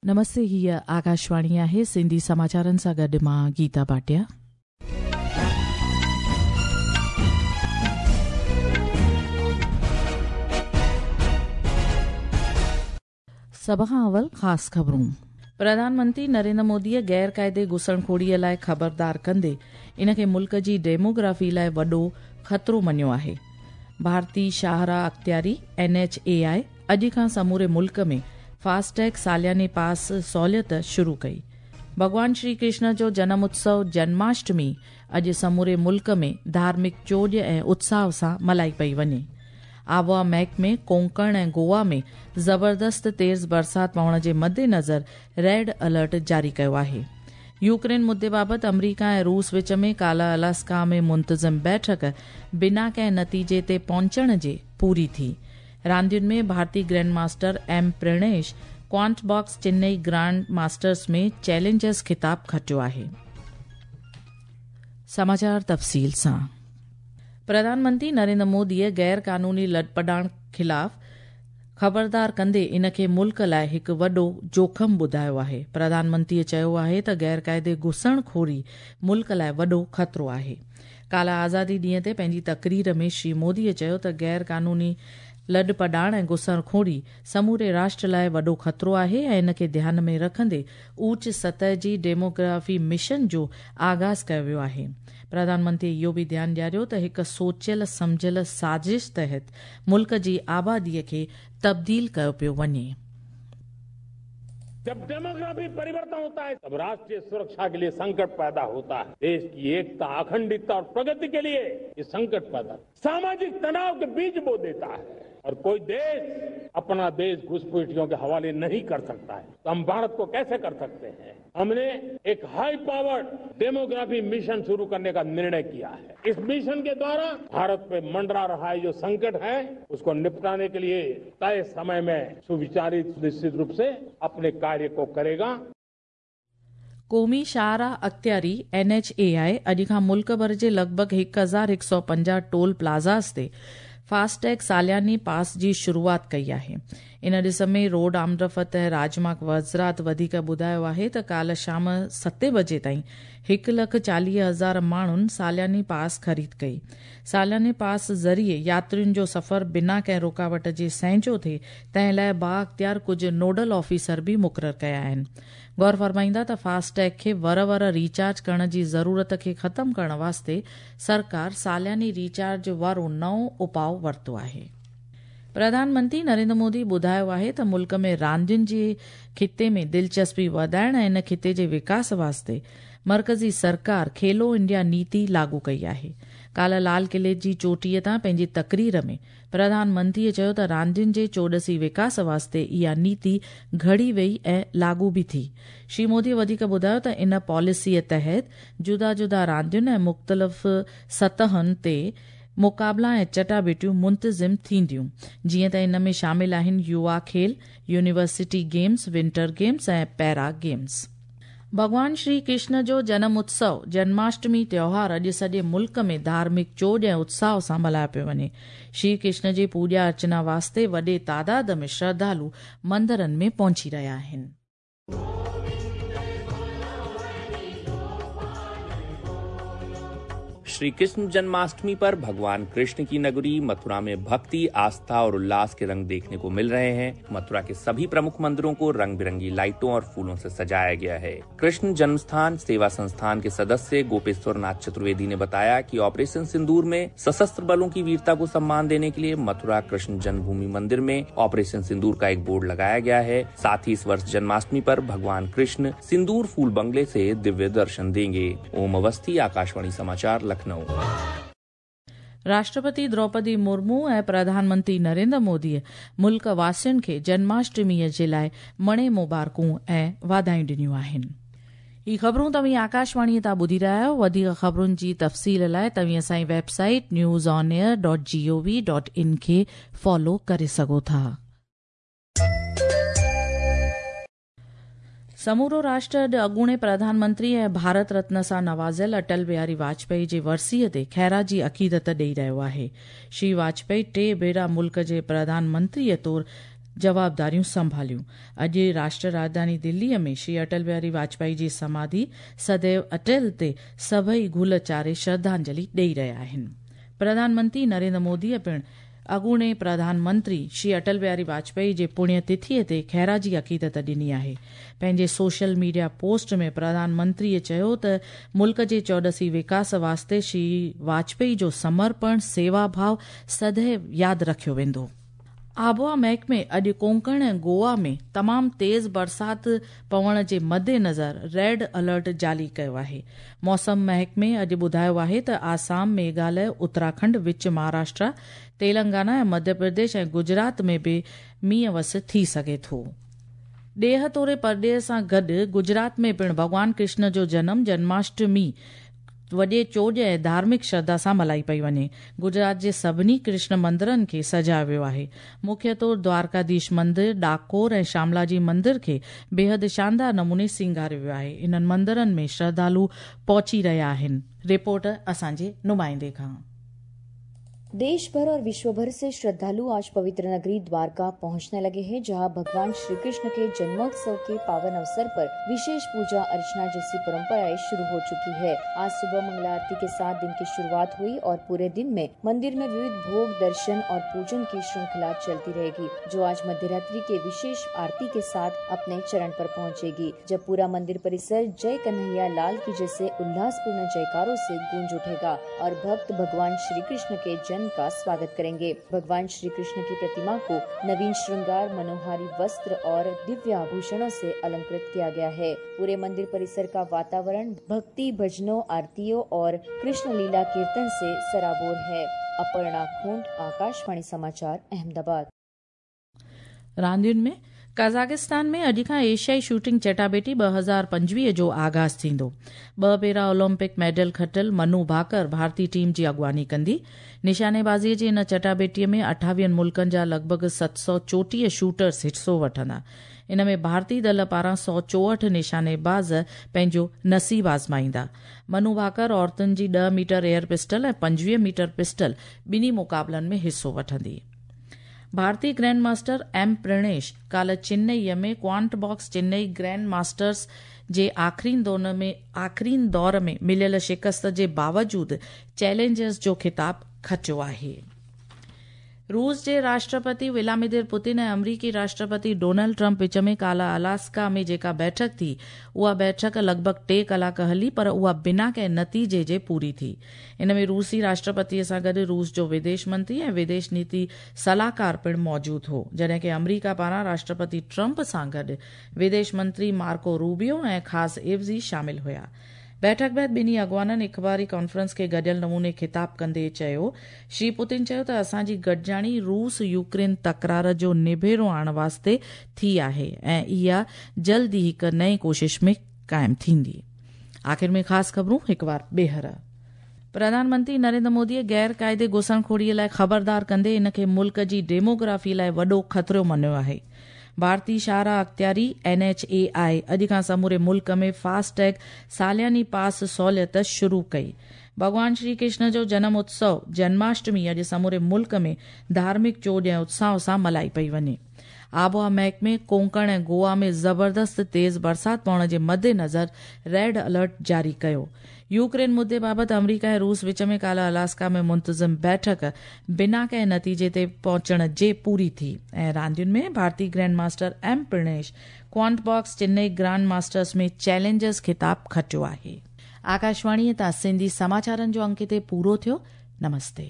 नमस्ते, हीअ आकाशवाणी आहे। सिंधी समाचारनि सां गॾु मां गीता भाटिया। सभ खां अवल ख़ासि ख़बरूं। प्रधानमंत्री नरेंद्र मोदीअ गैर क़ाइदे घुसणखोरीअ लाइ ख़बरदार कंदे इन खे मुल्क जी डेमोग्राफी लाइ वॾो ख़तरो मञियो आहे। भारतीय शाहराह अख़्तियारी एनएचएआई अॼु खां समूरे मुल्क में फास्टैग सालियाने पास सहूलियत शुरू कई। भॻवान श्री कृष्ण जो जनम उत्सव जन्माष्टमी अॼु समूरे मुल्क में धार्मिक चोॼ ऐं उत्साह सां मल्हाई पई वञे। आबोहवा महकमे कोंकण ऐं गोवा में ज़बरदस्त तेज़ बरसाति पवण जे मद्देनज़र रेड अलर्ट जारी कयो आहे। यूक्रेन मुद्दे बाबति अमरीका ऐं रूस विच में काल्ह अलास्का में मुंतज़िम बैठक बिना कंहिं नतीजे ते पहुचण जे पूरी थी। रांदियुनि में भारतीय grand master M Pranesh Quantbox Chennai grand masters में चैलेंजर्स ख़िताब खटियो आहे। समाचार तफ़सील सां। प्रधानमंत्री नरेंद्र मोदीअ गैर क़ानूनी लॾपॾाण ख़िलाफ़ ख़बरदार कंदे इन खे मुल्क लाइ हिकु वॾो जोखिम ॿुधायो आहे। प्रधानमंत्रीअ चयो आहे त गैर क़ाइदे घुसणखोरी मुल्क लाइ वॾो ख़तरो आहे। काल्ह आज़ादी ॾींहं ते पंहिंजी तकरीर में श्री मोदीअ चयो त गैर क़ानूनी लॾपॾाण ऐं घुसणखोरी समूरे राष्ट्र लाइ वॾो ख़तरो आहे ऐं इन खे ध्यान में रखंदे ऊच सतह जी डेमोग्राफी मिशन जो आगाज़ कयो वियो आहे। प्रधानमंत्री इहो बि ध्यानु ॾियारियो त हिकु सोचियल सम्झियल साज़िश तहत मुल्क जी आबादीअ खे तब्दील कयो पियो वञे। जब डेमोग्राफी परिवर्तन होता है तब राष्ट्रीय सुरक्षा के लिए संकट पैदा होता है। देश की एकता, अखंडता और प्रगति के लिए ये संकट पैदा, सामाजिक तनाव के बीज बो देता है और कोई देश अपना देश घुसपैठियों के हवाले नहीं कर सकता है। तो हम भारत को कैसे कर सकते हैं? हमने एक हाई पावर्ड डेमोग्राफी मिशन शुरू करने का निर्णय किया है। इस मिशन के द्वारा भारत पे मंडरा रहा है जो संकट है उसको निपटाने के लिए तय समय में सुविचारित निश्चित रूप से अपने कार्य को करेगा। क़ौमी शाहराह अख़्तियारी एनएचएआई अॼु खां मुल्क भर जे लॻभॻि 1150 टोल प्लाज़ास ते फास्टैग सालियानी पास जी शुरूआत कई आहे। इन ॾिस में रोड आमदरफ़्त ऐं राजमार्ग वज़ारत वधीक ॿुधायो आहे त काल्ह शाम 7 बजे ताईं 1,40,000 माण्हुनि सालियानी पास ख़रीद कई। सालियानी पास ज़रिए यात्रियुनि जो सफ़र बिना कंहिं रुकावट जे सहजो थिए तंहिं लाइ बाअख़्तियार कुझु नोडल ऑफिसर बि मुक़ररु कया आहिनि। गौर फरमाईंदा त फास्टैग खे वर वर रीचार्ज करण जी ज़रूरत खे ख़तमु करण वास्ते सरकार सालियानी रीचार्ज वारो नओं उपाउ वरितो आहे। प्रधानमंत्री नरेंद्र मोदी ॿुधायो आहे त मुल्क में रांदियुनि जे खिते में दिलचस्पी वधाइण ऐं इन खिते जे विकास वास्ते मर्कज़ी सरकार खेलो इंडिया नीति लागू कई आहे। काल्ह लाल क़िले जी चोटीअ तां पंहिंजी तकरीर में प्रधानमंत्रीअ चयो त रांदियुनि जे चोॾसी विकास वास्ते इहा नीति घड़ी वई ऐं लागू बि थी। श्री मोदी वधीक ॿुधायो त इन पॉलिसीअ तहत जुदा जुदा रांदियुनि ऐं मुख़्तलिफ़ सतहनि ते मुक़ाबला ऐं चटाभेटियूं मुंतज़िम थींदियूं, जीअं त इन में शामिल आहिनि युवा खेल, यूनिवर्सिटी गेम्स, विंटर गेम्स ऐं पैरा गेम्स। भॻवान श्री कृष्ण जो जनम उत्सव जन्माष्टमी त्योहार अॼु सॼे मुल्क में धार्मिक चोॼ ऐं उत्साह सां मल्हायो पियो वञे। श्री कृष्ण जी पूॼा अर्चना वास्ते वॾे तादाद में श्रद्धालु मंदिरनि में पहुची रहिया आहिनि। श्री कृष्ण जन्माष्टमी पर भगवान कृष्ण की नगरी मथुरा में भक्ति, आस्था और उल्लास के रंग देखने को मिल रहे हैं। मथुरा के सभी प्रमुख मंदिरों को रंग बिरंगी लाइटों और फूलों से सजाया गया है। कृष्ण जन्मस्थान सेवा संस्थान के सदस्य गोपेश्वर नाथ चतुर्वेदी ने बताया कि ऑपरेशन सिंदूर में सशस्त्र बलों की वीरता को सम्मान देने के लिए मथुरा कृष्ण जन्मभूमि मंदिर में ऑपरेशन सिंदूर का एक बोर्ड लगाया गया है। साथ ही इस वर्ष जन्माष्टमी पर भगवान कृष्ण सिंदूर फूल बंगले से दिव्य दर्शन देंगे। ओम अवस्थी, आकाशवाणी समाचार, लखनऊ। राष्ट्रपति द्रौपदी मुर्मू ऐं प्रधानमंत्री नरेंद्र मोदीअ मुल्क वासियुनि खे जन्माष्टमीअ जे लाइ मणे मुबारकूं ऐं वाधायूं ॾिनियूं आहिनि। ही ख़बरूं तव्हीं आकाशवाणीअ तां ॿुधी रहिया आहियो। वधीक ख़बरुनि जी तफ़सील लाइ तव्हीं असांजी वेबसाइट newsonair.gov.in खे फॉलो करे सघो था। समूरो राष्ट्र अॼु अॻूणे प्रधानमंत्री ऐं भारत रत्न सां नवाज़ियल अटल बिहारी वाजपेयी जे वरसीअ ते ख़ैराजी अक़ीदत ॾेई रहियो आहे। श्री वाजपेयी 3 भेरा मुल्क जे प्रधानमंत्रीअ तौरु جوابداريون سنڀاليون. اڄ راشٽر راڄڌاني دليء ۾ شري اٽل بهاري واجپائي جي سماڌي سديو اٽل تي سڀئي گل چاڙهي شرڌانجلي ڏئي رهيا آهن. پرڌان منتري نريندر موديء پڻ اڳوڻي پرڌان منتري شري اٽل بهاري واجپائي جي پڻيه تٿيء تي خيراجي عقيدت ڏني آهي. پنهنجي سوشل ميڊيا پوسٽ ۾ پرڌان منتريء چيو ته ملڪ جي چوڏسي وڪاس واسطي شري واجپائي جو سمرپڻ، سيوا ڀاء سديو ياد رکيو ويندو. آبهوا محڪمي اڄ ڪونڪڻ ۽ گوا ۾ تمام تيز برسات پوڻ جي مدنظر ريڊ الرٽ جاري ڪيو آهي. موسم محڪمي اڄ ٻڌايو آهي ته آسام، ميگهاليه، اتراکنڊ، وچ مهاراشٽرا، تيلنگانا ۽ مڌيه پرديش ۽ گجرات ۾ به مينهن وس ٿي سگهي ٿو. ڏيهه توڙي پرڏيهه سان گڏ گجرات ۾ پڻ ڀڳوان ڪرشن جو جنم جنماشٽمي وڏي چوڄ ۽ ڌارمڪ شرڌا سان ملهائي پئي وڃي. گجرات جي سڀني ڪرشن مندرن کي سجايو ويو آهي. مکيه طور دوارڪاڌيش مندر، ڊاڪور ۽ شاملاجي مندر کي بيحد شاندار نموني سينگاريو ويو آهي. انهن مندرن ۾ شرڌالو پهچي رهيا آهن. رپورٽ اسان جي نمائندي کان. देश भर और विश्व भर से श्रद्धालु आज पवित्र नगरी द्वारका पहुंचने लगे हैं, जहां भगवान श्री कृष्ण के जन्मोत्सव के पावन अवसर पर विशेष पूजा अर्चना जैसी परंपराएं शुरू हो चुकी है। आज सुबह मंगला आरती के साथ दिन की शुरुआत हुई और पूरे दिन में मंदिर में विविध भोग, दर्शन और पूजन की श्रृंखला चलती रहेगी, जो आज मध्यरात्रि के विशेष आरती के साथ अपने चरण पर पहुंचेगी, जब पूरा मंदिर परिसर जय कन्हैया लाल की जैसे उल्लासपूर्ण जयकारों से गूंज उठेगा और भक्त भगवान श्री कृष्ण के जन्म का स्वागत करेंगे। भगवान श्री कृष्ण की प्रतिमा को नवीन श्रृंगार, मनोहारी वस्त्र और दिव्य आभूषणों से अलंकृत किया गया है। पूरे मंदिर परिसर का वातावरण भक्ति, भजनों, आरतियों और कृष्ण लीला कीर्तन से सराबोर है। अपर्णा खूंट, आकाशवाणी समाचार, अहमदाबाद। रांदियुनि में कज़ाकिस्तान में अॼु खां एशियाई शूटिंग चटाबेटी 2025 जो आगाज़ थींदो। ॿ भेरा ओलंपिक मेडल खटियल मनु भाकर भारतीय टीम जी अॻुवानी कंदी। निशानेबाज़ीअ जे इन चटाबेटीअ में 28 मुल्कनि जा लॻ ڀڳ 734 शूटर्स हिसो वठंदा। इन में भारतीय दल पारां 164 निशानेबाज़ पंहिंजो नसीब आज़माईंदा। मनु भाकर औरतुनि जी 10 मीटर एयर पिस्टल ऐं 25 मीटर पिस्टल ॿिन्ही मुक़ाबलनि में हिसो वठंदी। भारतीय ग्रैंड मास्टर एम प्रणेश काल्ह चेन्नईअ में क्वांटबॉक्स चेन्नई ग्रैंड मास्टर्स जे आख़िरीन दौर में मिलियल शिकस्त जे बावजूद चैलेंजर्स जो ख़िताब खटियो आहे। रूस जे राष्ट्रपति व्लादिमीर पुतिन ऐं अमरीकी राष्ट्रपति डोनाल्ड ट्रंप विच में काल्ह अलास्का में जेका बैठक थी, उहा बैठक लॻ ڀڳ 3 कलाक हली, पर उहा बिना कंहिं नतीजे जे पूरी थी। इन में रूसी राष्ट्रपतीअ सां गॾु रूस जो विदेश मंत्री ऐं विदेश नीति सलाहकार पिणु मौजूद हो, जॾहिं की अमरीका पारां राष्ट्रपति ट्रंप सां गॾु विदेश मंत्री मार्को रूबियो ऐं ख़ासि एवज़ी शामिल हुया। बैठक बाद ॿिन्ही अॻुवाननि अख़बारी कॉन्फ्रेंस खे गॾियल नमूने ख़िताब कंदे चयो। श्री पुतिन चयो त असांजी गॾिजाणी रूस यूक्रेन तकरार जो निबेड़ो आणण वास्ते थी आहे ऐं इहा जल्द ई हिकु नई कोशिश में क़ाइमु थींदी। आख़िर में ख़ासि ख़बरूं हिकु वार ॿीहर। प्रधानमंत्री नरेंद्र मोदीअ गैर क़ाइदे घुसणखोरीअ लाइ ख़बरदार कंदे इन खे मुल्क जी डेमोग्राफी लाइ वॾो ख़तरो मञियो आहे। भारतीय शाहराह अख़्तियारी NHAI अॼु खां समूरे मुल्क में फास्टैग सालियानी पास सहूलियत शुरू कई। भॻवान श्री कृष्ण जो जनम उत्सव जन्माष्टमी अॼु समूरे मुल्क में धार्मिक चोॼ ऐं उत्साह सां मल्हाई पई वञे। आबहवा महकमे कोंकण ऐं गोवा में ज़बरदस्त तेज़ बरसात पवण जे मद्देनज़र रेड अलर्ट जारी कयो। यूक्रेन मुद्दे बाबति अमरीका ऐं रूस विच में काल्ह अलास्का में मुंतज़िम बैठक बिना कंहिं नतीजे ते पहुचण जे पूरी थी। ऐं रांदियुनि में भारतीय grand master M Pranesh Quantbox Chennai grand masters में चैलेंजर्स ख़िताब खटियो आहे। आकाशवाणीअ तां सिंधी समाचारनि जो अंक हिते पूरो थियो। नमस्ते।